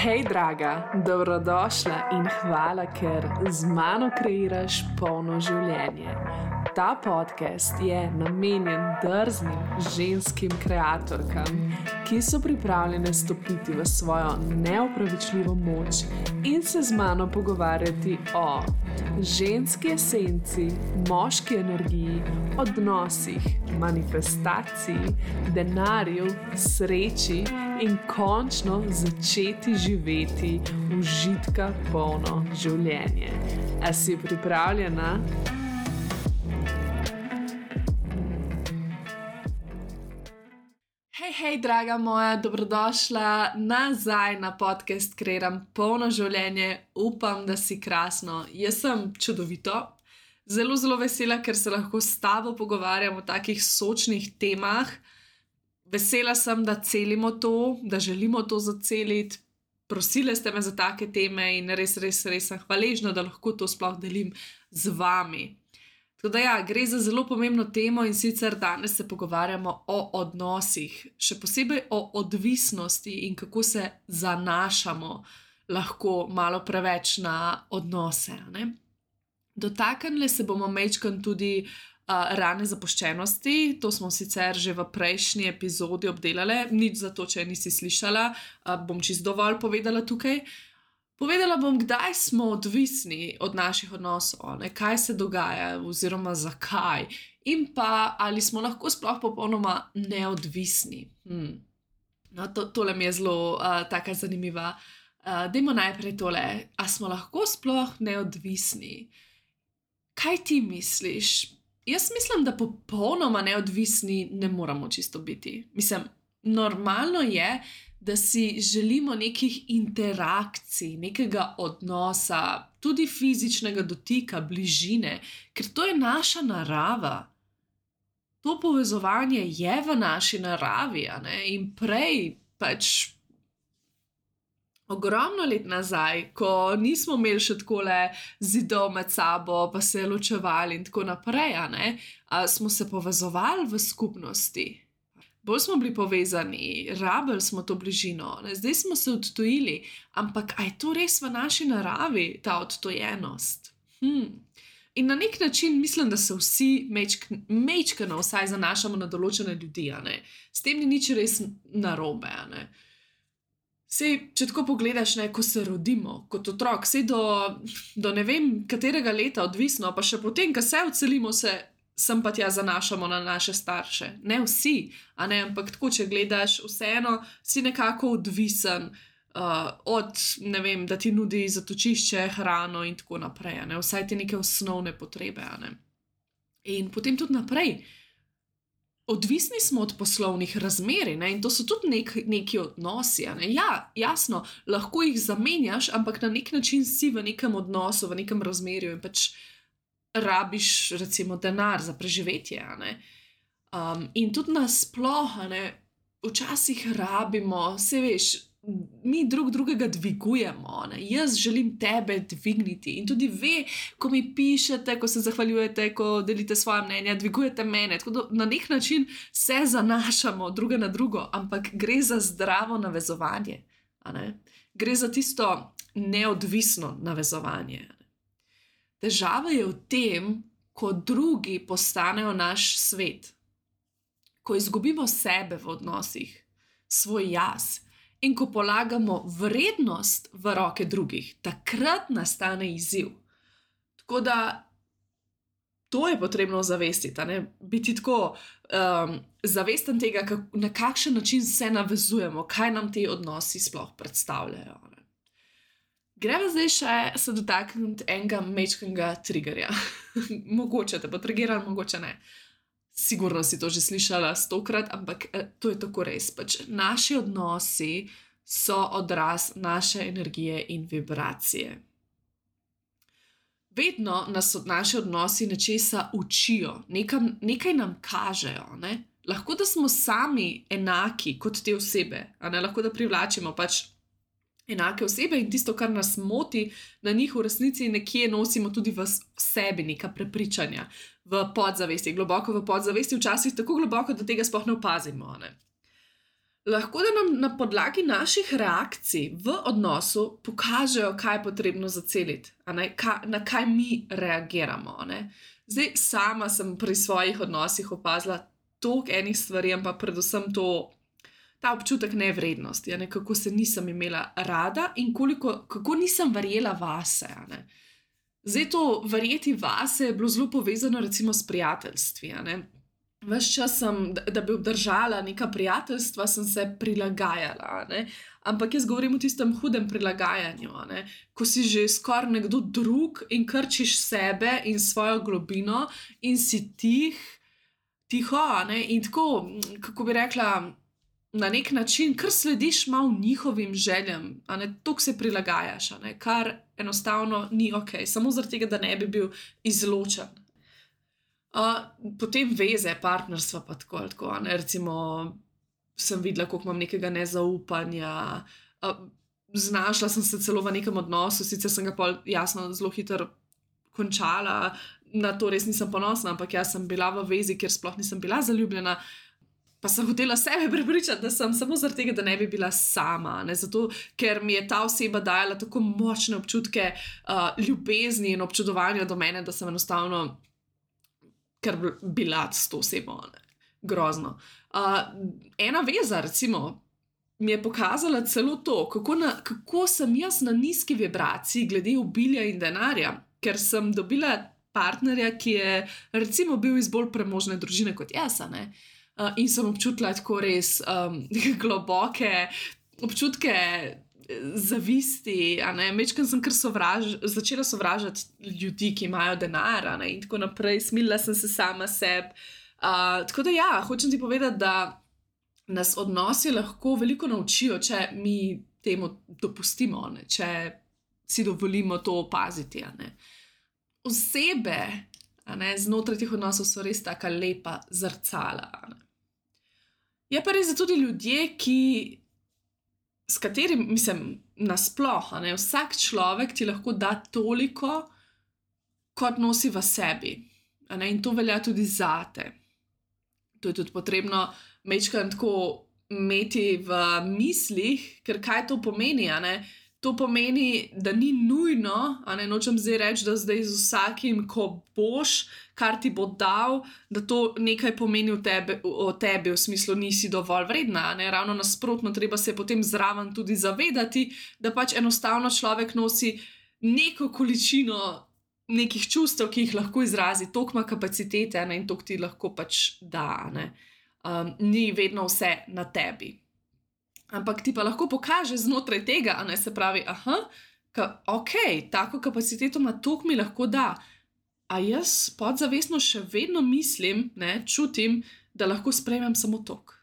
Hej, draga, dobrodošla in hvala, ker z mano kreiraš polno življenje. Ta podcast je namenjen drznim ženskim kreatorkam, ki so pripravljene stopiti v svojo neopravičljivo moč in se z mano pogovarjati o ženski esenci, moški energiji, odnosih, manifestaciji, denarju, sreči in končno začeti živeti užitka polno življenje. A si pripravljena? Hej, draga moja, dobrodošla nazaj na podcast Kreiram polno življenje. Upam, da si krasno. Jaz sem čudovito. Zelo vesela, ker se lahko s tabo pogovarjam o takih sočnih temah. Vesela sem, da celimo to, da želimo to zaceliti. Prosile ste me za take teme in res sem hvaležna, da lahko to sploh delim z vami. Tako da gre za zelo pomembno temo in sicer danes se pogovarjamo o odnosih, še posebej o odvisnosti in kako se zanašamo lahko malo preveč na odnose. Ne? Dotaknili se bomo majčkeno tudi rane zapuščenosti, to smo sicer že v prejšnji epizodi obdelali, nič za to, če nisi slišala, bom čisto dovolj povedala tukaj. Povedala bom, kdaj smo odvisni od naših odnosov, ne? Kaj se dogaja oziroma zakaj in pa ali smo lahko sploh popolnoma neodvisni. No, tole mi je zelo taka zanimiva. Dajmo najprej tole, a smo lahko sploh neodvisni? Kaj ti misliš? Jaz mislim, da popolnoma neodvisni ne moramo čisto biti. Mislim, normalno je, da si želimo nekih interakcij, nekega odnosa, tudi fizičnega dotika, bližine, ker to je naša narava. To povezovanje je v naši naravi, ne? In prej ogromno let nazaj, ko nismo imeli še takole zidov med sabo, pa se ločevali in tako naprej, smo se povezovali v skupnosti. Bolj smo bili povezani, rabili smo to bližino, zdaj smo se odtujili, ampak a je to res v naši naravi, ta odtojenost? In na nek način mislim, da se vsi mečkano vsaj zanašamo na določene ljudi, S tem ni nič res narobe, Sej, če tako pogledaš, ko se rodimo kot otrok, sej do ne vem katerega leta odvisno, pa še potem, ko se odselimo, sem pa tja zanašamo na naše starše. Ne vsi, ampak tako, če gledaš, vseeno si nekako odvisen od, ne vem, da ti nudi zatočišče, hrano in tako naprej, vsaj ti neke osnovne potrebe, In potem tudi naprej. Odvisni smo od poslovnih razmerij, in to so tudi neki odnosi. Ja, jasno, lahko jih zamenjaš, ampak na nek način si v nekem odnosu, v nekem razmerju in rabiš recimo denar za preživetje. In tudi nasploh, včasih rabimo, saj veš, mi drugega dvigujemo. Jaz želim tebe dvigniti in tudi ve, ko mi pišete, ko se zahvaljujete, ko delite svoje mnenja, dvigujete mene. Tako da na nek način se zanašamo druga na drugo, ampak gre za zdravo navezovanje. Gre za tisto neodvisno navezovanje. Težava je v tem, ko drugi postanejo naš svet. Ko izgubimo sebe v odnosih, svoj jaz, in ko polagamo vrednost v roke drugih, takrat nastane izziv. Tako da to je potrebno zavestiti, biti tako zavesten tega, na kakšen način se navezujemo, kaj nam ti odnosi sploh predstavljajo. Greva zdaj še se dotakniti enega majčkega triggerja. Mogoče te bo triggeral, mogoče ne. Sigurno si to že slišala 100-krat, ampak to je tako res. Naši odnosi so odraz naše energije in vibracije. Vedno nas naši odnosi nečesa učijo, nekaj nam kažejo. Lahko, da smo sami enaki kot te osebe, lahko, da privlačimo enake osebe in tisto, kar nas moti na njih v resnici nekje nosimo tudi v sebi, neka prepričanja, v podzavesti, globoko v podzavesti, včasih tako globoko, da tega sploh ne opazimo. Lahko da nam na podlagi naših reakcij v odnosu pokažejo, kaj je potrebno zaceliti, na kaj mi reagiramo. Zdaj, sama sem pri svojih odnosih opazila toliko enih stvari, ampak predvsem ta občutek nevrednosti, kako se nisem imela rada in kako nisem verjela vase. Zdaj, to verjeti vase je bilo zelo povezano recimo s prijateljstvi. Ves čas da bi obdržala neka prijateljstva, sem se prilagajala. Ampak jaz govorim o tistem hudem prilagajanju, ko si že skoraj nekdo drug in krčiš sebe in svojo globino in si tiho, in tako, kako bi rekla, na nek način, kar slediš malo njihovim željam, toliko se prilagajaš, kar enostavno ni ok, samo zaradi tega, da ne bi bil izločen. Potem veze, partnerstva pa tako, recimo sem videla, koliko imam nekega nezaupanja, znašla sem se celo v nekem odnosu, sicer sem ga pol jasno zelo hitro končala, na to res nisem ponosna, ampak jaz sem bila v vezi, kjer sploh nisem bila zaljubljena, pa sem hotela sebe prepričati, da sem samo zaradi tega, da ne bi bila sama, zato ker mi je ta oseba dajala tako močne občutke ljubezni in občudovanja do mene, da sem enostavno kar bila s to osebo, grozno. Ena veza, recimo, mi je pokazala celo to, kako sem jaz na nizki vibraciji glede obilja in denarja, ker sem dobila partnerja, ki je recimo bil iz bolj premožne družine kot jaz, in sem občutila tako res globoke občutke zavisti, mečkam sem kar začela sovražati ljudi, ki imajo denar, in tako naprej, smilila sem se sama sebi. Tako da ja, hočem ti povedati, da nas odnosi lahko veliko naučijo, če mi temu dopustimo, če si dovolimo to opaziti. Osebe znotraj teh odnosov so res taka lepa zrcala. Je pa res, da tudi ljudje, s katerim, mislim, nasploh, vsak človek ti lahko da toliko, kot nosi v sebi. In to velja tudi zate. To je tudi potrebno majčkeno tako imeti v mislih, ker kaj to pomeni, To pomeni, da ni nujno, nočem zdaj reči, da zdaj z vsakim, ko boš, kar ti bo dal, da to nekaj pomeni o tebi, v smislu nisi dovolj vredna, Ravno nasprotno, treba se potem zraven tudi zavedati, da pač enostavno človek nosi neko količino nekih čustev, ki jih lahko izrazi, toliko ima kapacitete, in toliko ti lahko pač da, Ni vedno vse na tebi. Ampak ti pa lahko pokaže znotraj tega, se pravi, ok, tako kapaciteto ima, toliko mi lahko da. A jaz podzavestno še vedno mislim, čutim, da lahko sprejmem samo toliko.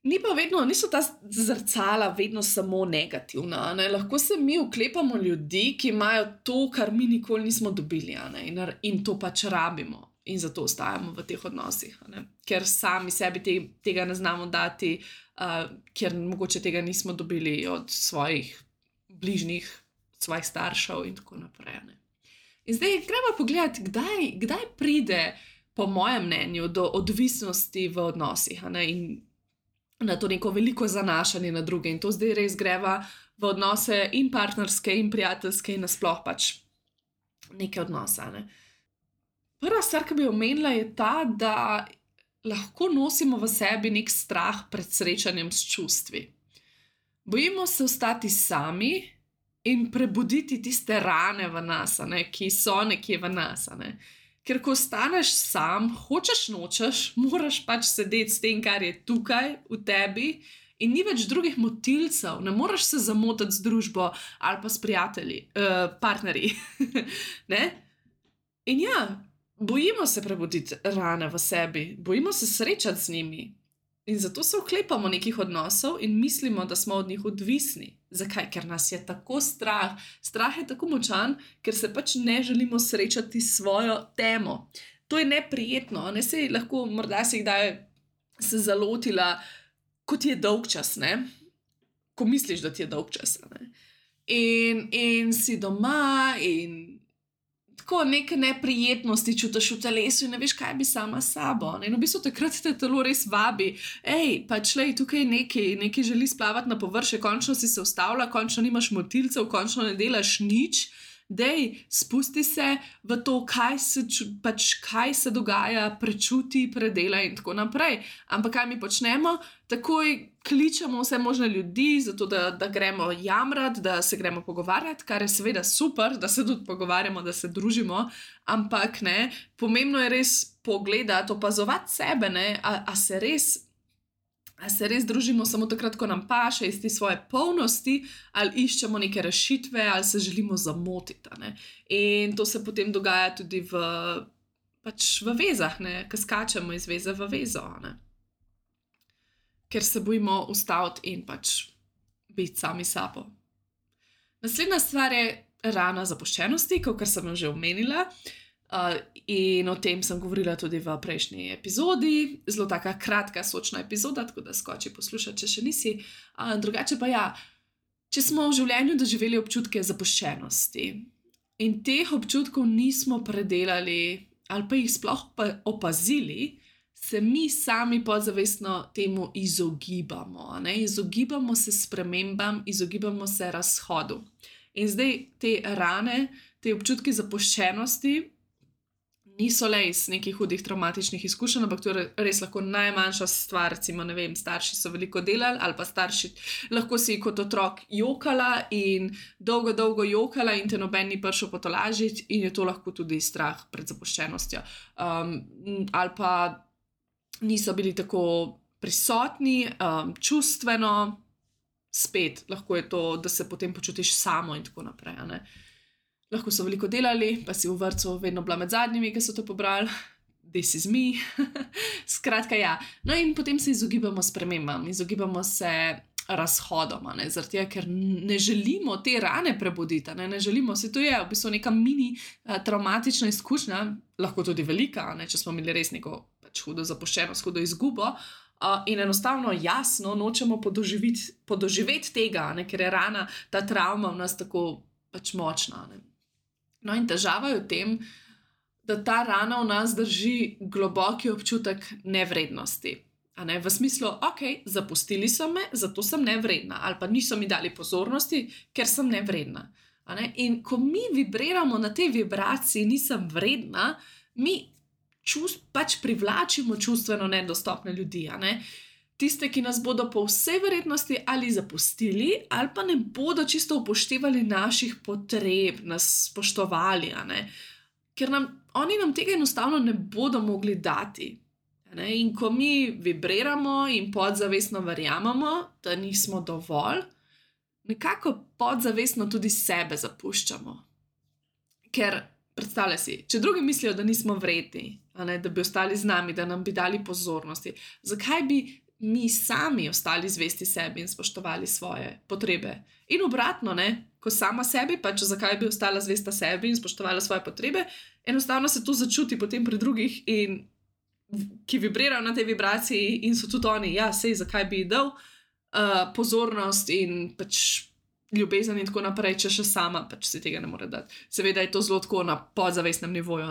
Niso ta zrcala vedno samo negativna, Lahko se mi oklepamo ljudi, ki imajo to, kar mi nikoli nismo dobili, in to pač rabimo. In zato ostajamo v teh odnosih, ker sami sebi tega ne znamo dati, ker mogoče tega nismo dobili od svojih bližnjih, svojih staršev in tako naprej. In zdaj gremo pogledati, kdaj pride, po mojem mnenju, do odvisnosti v odnosih, in na to neko veliko zanašanje na druge. In to zdaj res greva v odnose in partnerske in prijateljske in nasploh pač neke odnose. Prva stvar, ki bi omenila, je ta, da lahko nosimo v sebi nek strah pred srečanjem s čustvi. Bojimo se ostati sami in prebuditi tiste rane v nas, ki so nekje v nas. Ker ko ostaneš sam, hočeš nočeš, moraš pač sedeti s tem, kar je tukaj v tebi, in ni več drugih motilcev, ne moreš se zamotati z družbo ali pa s prijatelji, partnerji. In ja, bojimo se prebuditi rane v sebi, bojimo se srečati z njimi. In zato se oklepamo nekih odnosov in mislimo, da smo od njih odvisni. Zakaj? Ker nas je tako strah. Strah je tako močan, ker se pač ne želimo srečati s svojo temo. To je neprijetno, Saj lahko, morda si kdaj se zalotila, ko ti je dolgčas, Ko misliš, da ti je dolgčas, In si doma in tako neke neprijetnosti čutiš v telesu in ne veš, kaj bi sama s sabo. Ne? In v bistvu takrat te telo res vabi, pač lej, tukaj nekaj želi splavati na površje, končno si se ustavila, končno nimaš motilcev, končno ne delaš nič. Dej, spusti se v to, kaj se dogaja, prečuti, predela in tako naprej. Ampak kaj mi počnemo? Takoj kličemo vse možne ljudi, zato da gremo jamrati, da se gremo pogovarjati, kar je seveda super, da se tudi pogovarjamo, da se družimo, ampak ne, pomembno je res pogledati, opazovati sebe, ne, a se res družimo samo takrat, ko nam paše iz te svoje polnosti, ali iščemo neke rešitve, ali se želimo zamotiti. Ne? In to se potem dogaja tudi v vezah, ko skačemo iz veze v vezo. Ne? Ker se bojimo ustaviti in biti sami sabo. Naslednja stvar je rana zapuščenosti, kot sem že omenila. In o tem sem govorila tudi v prejšnji epizodi, zelo taka kratka, sočna epizoda, tako da skoči poslušati, če še nisi. Drugače pa ja, če smo v življenju doživeli občutke zapuščenosti in teh občutkov nismo predelali ali pa jih sploh opazili, se mi sami podzavestno temu izogibamo. Izogibamo se spremembam, izogibamo se razhodu. In zdaj te rane, te občutki zapuščenosti niso le iz nekih hudih traumatičnih izkušenj, ampak to je res lahko najmanjša stvar, recimo, ne vem, starši so veliko delali ali pa starši, lahko si kot otrok jokala in dolgo jokala in te noben ni prišel potolažiti in je to lahko tudi strah pred zapuščenostjo. Ali pa niso bili tako prisotni, čustveno, spet lahko je to, da se potem počutiš samo in tako naprej, ne. Lahko so veliko delali, pa si v vrtcu vedno bila med zadnjimi, ki so to pobrali. This is me. Skratka, ja. No in potem se izogibamo spremembam, izogibamo se razhodom, zaradi tega, ker ne želimo te rane prebuditi, ne želimo, se to je v bistvu neka mini traumatična izkušnja, lahko tudi velika, če smo imeli res neko hudo zapuščenost, hudo izgubo. In enostavno, jasno, nočemo podoživeti tega, ker je rana, ta travma v nas tako močna. No in težava je v tem, da ta rana v nas drži globoki občutek nevrednosti. V smislu, zapustili so me, zato sem nevredna, ali pa niso mi dali pozornosti, ker sem nevredna. In ko mi vibriramo na tej vibraciji, nisem vredna, mi privlačimo čustveno nedostopne ljudi. Tiste, ki nas bodo po vsej verjetnosti ali zapustili, ali pa ne bodo čisto upoštevali naših potreb, nas spoštovali, ker oni nam tega enostavno ne bodo mogli dati. In ko mi vibriramo in podzavestno verjamemo, da nismo dovolj, nekako podzavestno tudi sebe zapuščamo. Ker predstavljaj si, če drugi mislijo, da nismo vredni, da bi ostali z nami, da nam bi dali pozornosti, zakaj bi mi sami ostali zvesti sebi in spoštovali svoje potrebe? In obratno, ko sama sebi, zakaj bi ostala zvesta sebi in spoštovala svoje potrebe, enostavno se to začuti potem pri drugih, in ki vibrirajo na tej vibraciji in so tudi oni, zakaj bi dal pozornost in ljubezen in tako naprej, če še sama si tega ne more dati. Seveda je to zelo tako na podzavestnem nivoju,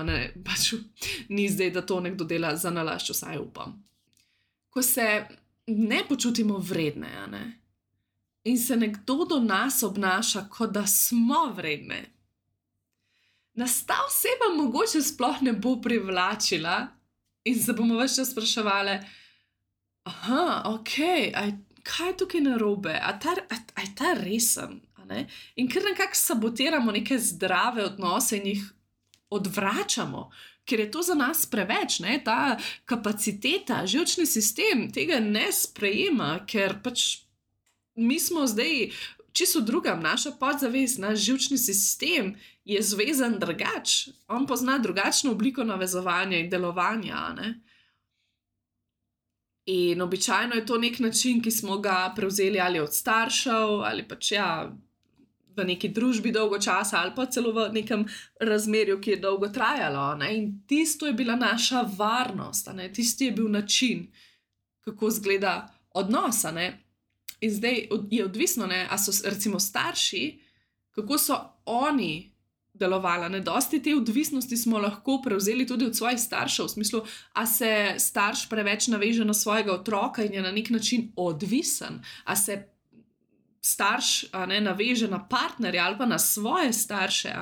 ni zdaj, da to nekdo dela za nalašč, vsaj upam. Ko se ne počutimo vredne, in se nekdo do nas obnaša, kot da smo vredne, nas ta oseba mogoče sploh ne bo privlačila in se bomo ves čas spraševali, kaj je tukaj narobe, a je ta resen? In ker nekako sabotiramo neke zdrave odnose in jih odvračamo, ker je to za nas preveč, ta kapaciteta, živčni sistem tega ne sprejema, ker mi smo zdaj čisto drugam, naša podzavest, naš živčni sistem je zvezan drugače, on pozna drugačno obliko navezovanja in delovanja, In običajno je to nek način, ki smo ga prevzeli ali od staršev, ali v neki družbi dolgo časa, ali pa celo v nekem razmerju, ki je dolgo trajalo. In tisto je bila naša varnost, tisti je bil način, kako izgleda odnos. In zdaj je odvisno, a so recimo starši, kako so oni delovala. Dosti te odvisnosti smo lahko prevzeli tudi od svojih staršev, v smislu, a se starš preveč naveže na svojega otroka in je na nek način odvisen, a se starš naveže na partnerja ali pa na svoje starše,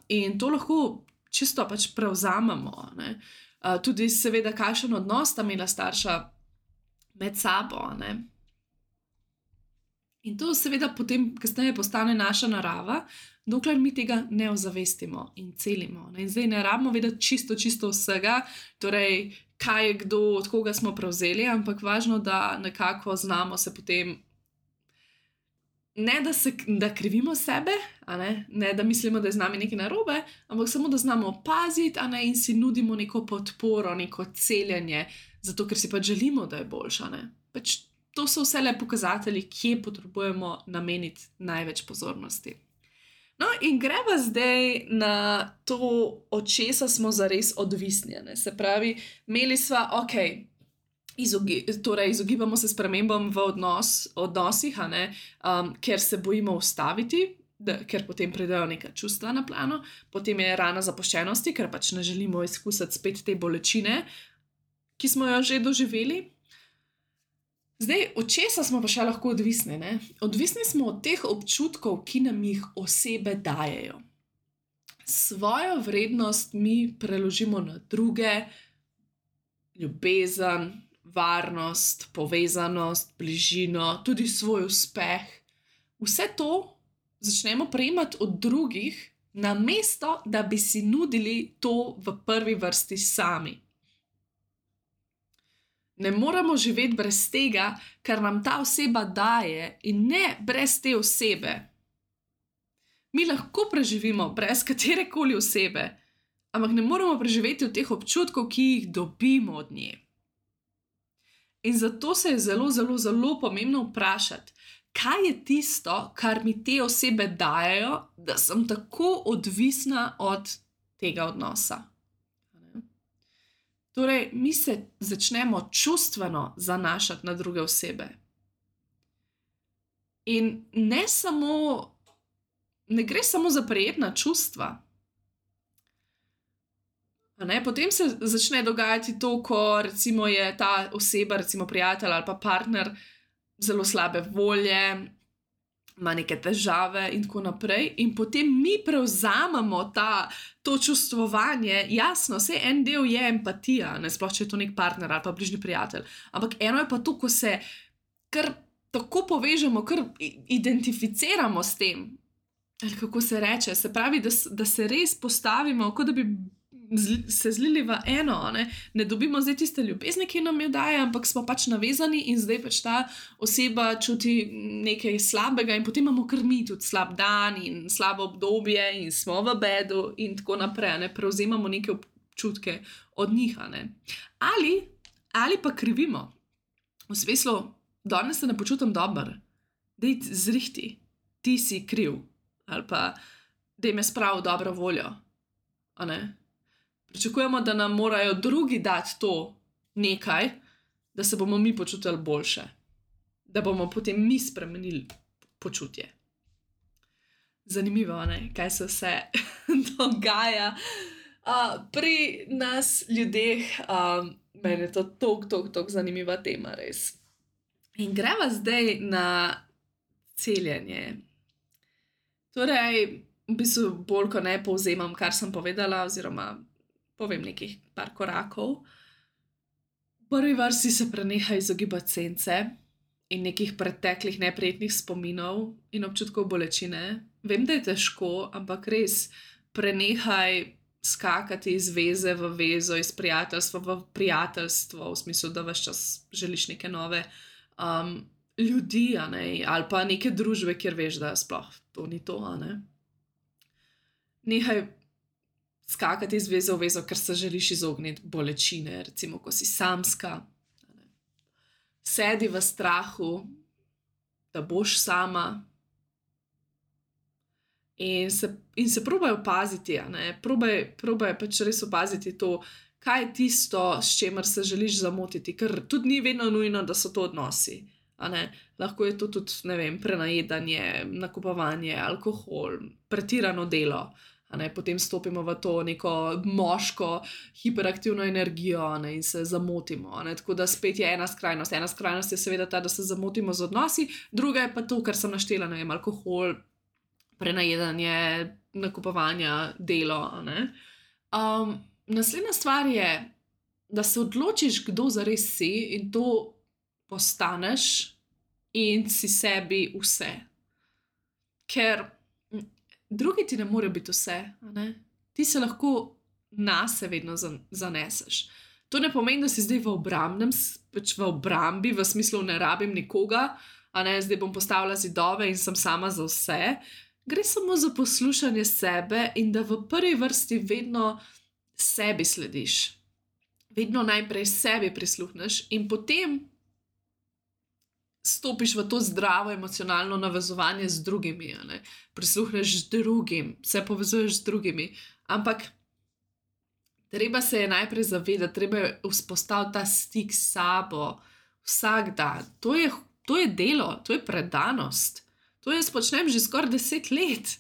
in to lahko čisto pač prevzamemo. Tudi seveda, kakšen odnos sta imela starša med sabo. In to seveda potem kasneje postane naša narava, dokler mi tega ne ozavestimo in celimo. In zdaj ne rabimo vedeti čisto vsega, torej kaj je kdo, od koga smo prevzeli, ampak važno, da nekako znamo se potem, ne da krivimo sebe, ne da mislimo, da je z nami nekaj narobe, ampak samo da znamo opaziti in si nudimo neko podporo, neko celjenje, zato ker si pač želimo, da je boljša. Pač to so vse le pokazatelji, kje potrebujemo nameniti največ pozornosti. No, in greva zdaj na to, od česa smo zares odvisni. Se pravi, imeli sva, torej izogibamo se spremembam v odnosih, ker se bojimo ustaviti, ker potem pridejo neka čustva na plano, potem je rana zapuščenosti, ker pač ne želimo izkusiti spet te bolečine, ki smo jo že doživeli. Zdaj, od česa smo pa še lahko odvisni? Odvisni smo od teh občutkov, ki nam jih osebe dajejo. Svojo vrednost mi preložimo na druge, ljubezen, varnost, povezanost, bližino, tudi svoj uspeh. Vse to začnemo prejemati od drugih, namesto da bi si nudili to v prvi vrsti sami. Ne moremo živeti brez tega, kar nam ta oseba daje, in ne brez te osebe. Mi lahko preživimo brez katerekoli osebe, ampak ne moremo preživeti od teh občutkov, ki jih dobimo od nje. In zato se je zelo pomembno vprašati, kaj je tisto, kar mi te osebe dajejo, da sem tako odvisna od tega odnosa. Torej, mi se začnemo čustveno zanašati na druge osebe. In ne gre samo za prijetna čustva. Potem se začne dogajati to, ko recimo je ta oseba, recimo prijatelj ali pa partner, zelo slabe volje, ima neke težave in tako naprej, in potem mi prevzamemo to čustvovanje. Jasno, vse en del je empatija, sploh če je to nek partner ali pa bližnji prijatelj, ampak eno je pa to, ko se kar tako povežemo, kar identificiramo s tem, ali kako se reče, se pravi, da se res postavimo, kot da bi se zlili v eno, ne dobimo zdaj tiste ljubezni, ki nam jo daje, ampak smo pač navezani in zdaj pač ta oseba čuti nekaj slabega in potem imamo kar mi tudi slab dan in slabo obdobje in smo v bedu in tako naprej, prevzemamo neke občutke od njih. Ali pa krivimo, v smislu, danes se ne počutim dobro, daj zrihti, ti si kriv, ali pa daj me sprav v dobro voljo, Pričakujemo, da nam morajo drugi dati to nekaj, da se bomo mi počutili boljše, da bomo potem mi spremenili počutje. Zanimivo, kaj se vse dogaja pri nas ljudeh. Meni je to toliko zanimiva tema, res. In greva zdaj na celjenje. Torej, v bistvu bolj, ko ne povzemam, kar sem povedala, oziroma povem nekih par korakov. V prvi vrsti se prenehaj izogibati sence in nekih preteklih neprijetnih spominov in občutkov bolečine. Vem, da je težko, ampak res prenehaj skakati iz veze v vezo, iz prijateljstva v prijateljstvo, v smislu, da ves čas želiš neke nove ljudi, ali pa neke družbe, kjer veš, da sploh to ni to. Nehaj skakati iz veze v vezo, ker se želiš izogniti bolečine, recimo, ko si samska. Sedi v strahu, da boš sama. In se probaj opaziti, probaj pač res opaziti to, kaj je tisto, s čemer se želiš zamotiti, ker tudi ni vedno nujno, da so to odnosi. Lahko je to tudi, ne vem, prenajedanje, nakupovanje, alkohol, pretirano delo. Potem stopimo v to neko moško, hiperaktivno energijo in se zamotimo. Tako da spet je ena skrajnost. Ena skrajnost je seveda ta, da se zamotimo z odnosi, druga je pa to, kar sem naštela, ne vem, alkohol, prenajedanje, nakupovanja, delo. Naslednja stvar je, da se odločiš, kdo zares si in to postaneš in si sebi vse. Ker drugi ti ne morejo biti vse. Ti se lahko nase vedno zaneseš. To ne pomeni, da si zdaj v obrambi, v smislu ne rabim nikoga, zdaj bom postavila zidove in sem sama za vse. Gre samo za poslušanje sebe in da v prvi vrsti vedno sebi slediš. Vedno najprej sebi prisluhneš in potem stopiš v to zdravo emocionalno navezovanje z drugimi. Prisluhneš drugim, se povezuješ z drugimi. Ampak treba se je najprej zavedati, treba je vzpostaviti ta stik s sabo vsak dan. To je delo, to je predanost. To jaz počnem že skoraj 10 let.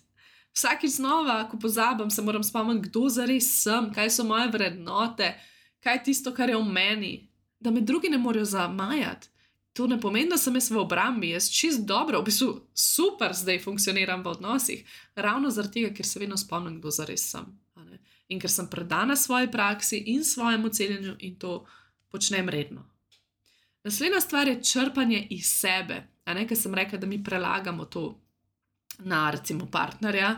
Vsakič znova, ko pozabim, se moram spomniti, kdo zares sem, kaj so moje vrednote, kaj je tisto, kar je v meni, da me drugi ne morejo zamajati. To ne pomeni, da sem jaz v obrambi, jaz čist dobro, v bistvu super zdaj funkcioniram v odnosih, ravno zaradi tega, ker se vedno spomnim, kdo zares sem. In ker sem predana svoji praksi in svojemu celjenju in to počnem redno. Naslednja stvar je črpanje iz sebe. Ker sem rekla, da mi prelagamo to na recimo partnerja,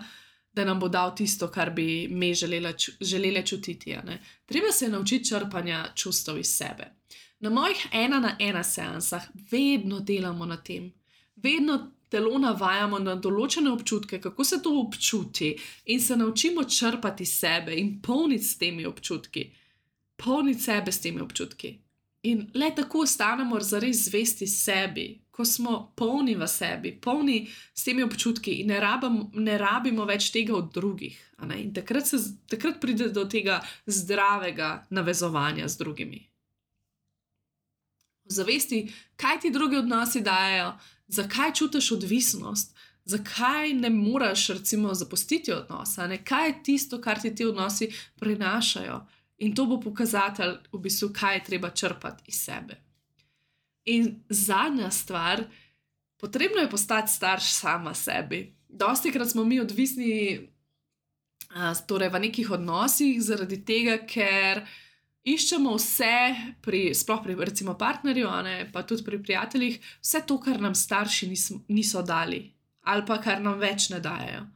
da nam bo dal tisto, kar bi me želele čutiti. Treba se naučiti črpanja čustev iz sebe. Na mojih 1-na-1 seansah vedno delamo na tem. Vedno telo navajamo na določene občutke, kako se to občuti in se naučimo črpati sebe in polniti s temi občutki. Polniti sebe s temi občutki. In le tako ostanemo zares zvesti sebi, ko smo polni v sebi, polni s temi občutki in ne rabimo več tega od drugih. In takrat pride do tega zdravega navezovanja z drugimi. Zavesti, kaj ti drugi odnosi dajejo, zakaj čutiš odvisnost, zakaj ne moreš recimo zapustiti odnosa, kaj je tisto, kar ti ti odnosi prinašajo. In to bo pokazatelj, v bistvu, kaj je treba črpati iz sebe. In zadnja stvar, potrebno je postati starš sama sebi. Dostikrat smo mi odvisni torej v nekih odnosih zaradi tega, ker iščemo vse, sploh pri recimo partnerju, pa tudi pri prijateljih, vse to, kar nam starši niso dali ali pa kar nam več ne dajejo.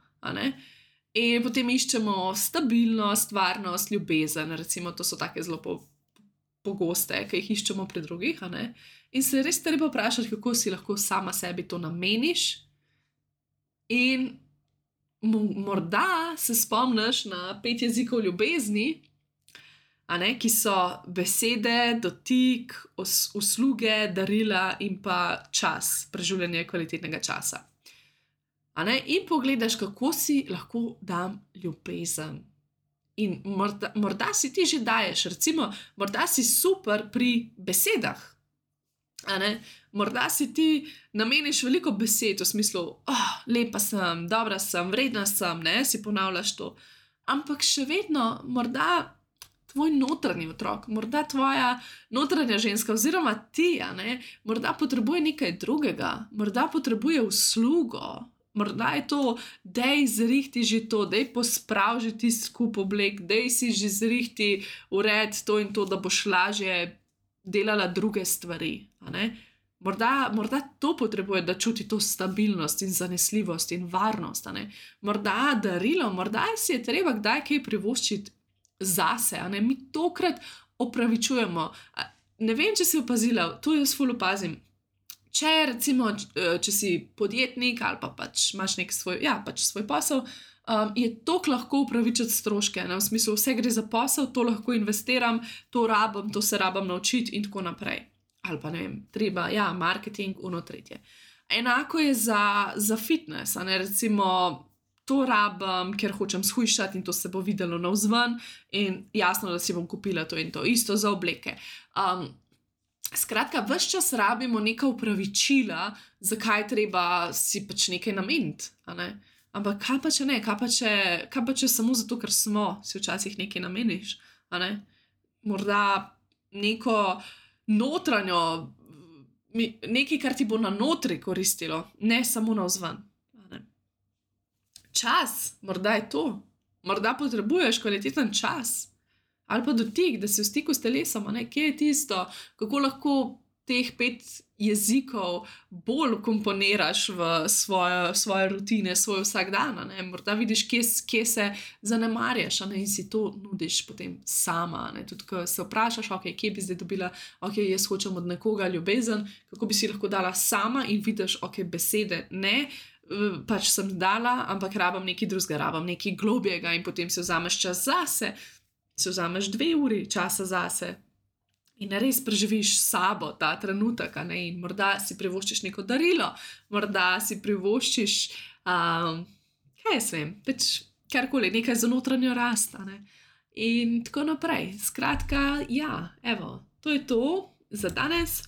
In potem iščemo stabilnost, varnost, ljubezen, recimo to so take zelo pogoste, ki jih iščemo pri drugih. In se res treba vprašati, kako si lahko sama sebi to nameniš in morda se spomniš na 5 jezikov ljubezni, ki so besede, dotik, usluge, darila in pa čas, preživljanje kvalitetnega časa. In pogledaš, kako si lahko dam ljubezen. In morda si ti že daješ, recimo, morda si super pri besedah. Morda si ti nameniš veliko besed v smislu, lepa sem, dobra sem, vredna sem, si ponavljaš to. Ampak še vedno morda tvoj notranji otrok, morda tvoja notranja ženska oziroma ti, morda potrebuje nekaj drugega, morda potrebuje uslugo. Morda je to, dej zrihti že to, dej pospravi že ti skup oblek, dej si že zrihti ured to in to, da boš lažje delala druge stvari. Morda to potrebuje, da čuti to stabilnost in zanesljivost in varnost. Morda darilo, morda si je treba kdaj kaj privoščiti zase. Mi tokrat opravičujemo. Ne vem, če si opazila, to jaz ful opazim. Če si podjetnik ali pa pač imaš nek svoj posel, je toliko lahko upravičiti stroške. V smislu, vse gre za posel, to lahko investiram, to rabim, to se rabim naučiti in tako naprej. Ali pa ne vem, treba, marketing, tretje. Enako je za fitness, recimo, to rabim, ker hočem shujšati in to se bo videlo navzven in jasno, da si bom kupila to in to, isto za obleke. Skratka, ves čas rabimo neka upravičila, zakaj treba si pač nekaj nameniti. Ampak kaj pa če ne, kaj pa če samo zato, ker si včasih nekaj nameniš. Morda neko notranjo, nekaj, kar ti bo na notri koristilo, ne samo navzven. Čas, morda je to. Morda potrebuješ kvaliteten čas. Ali pa dotik, da si v stiku s telesom, kje je tisto, kako lahko teh 5 jezikov bolj komponiraš v svoje rutine, svoj vsakdan. Morda vidiš, kje se zanemarjaš in si to nudiš potem sama. Tudi, ko se vprašaš, kje bi zdaj dobila, jaz hočem od nekoga ljubezen, kako bi si lahko dala sama in vidiš, besede ne, pač sem dala, ampak rabim nekaj drugega, rabim nekaj globjega in potem si vzameš čas zase, si vzameš 2 uri časa zase in res preživiš s sabo ta trenutek, in morda si privoščiš neko darilo, morda si privoščiš, kaj jaz vem, pač karkoli, nekaj za notranjo rast, in tako naprej. Skratka, ja, evo, to je to za danes.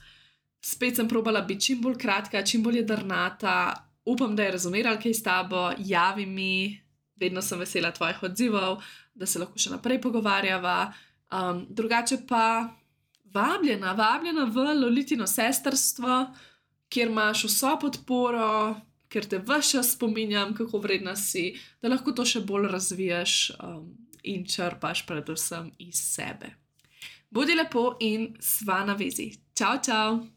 Spet sem probala biti čim bolj kratka, čim bolj jedrnata. Upam, da je rezoneralo kaj s tabo, javi mi, vedno sem vesela tvojih odzivov, da se lahko še naprej pogovarjava. Drugače pa vabljena v Lolitino sestrstvo, kjer imaš vso podporo, ker te ves čas spominjam, kako vredna si, da lahko to še bolj razvijaš in črpaš predvsem iz sebe. Bodi lepo in sva na vezi. Čau, čau!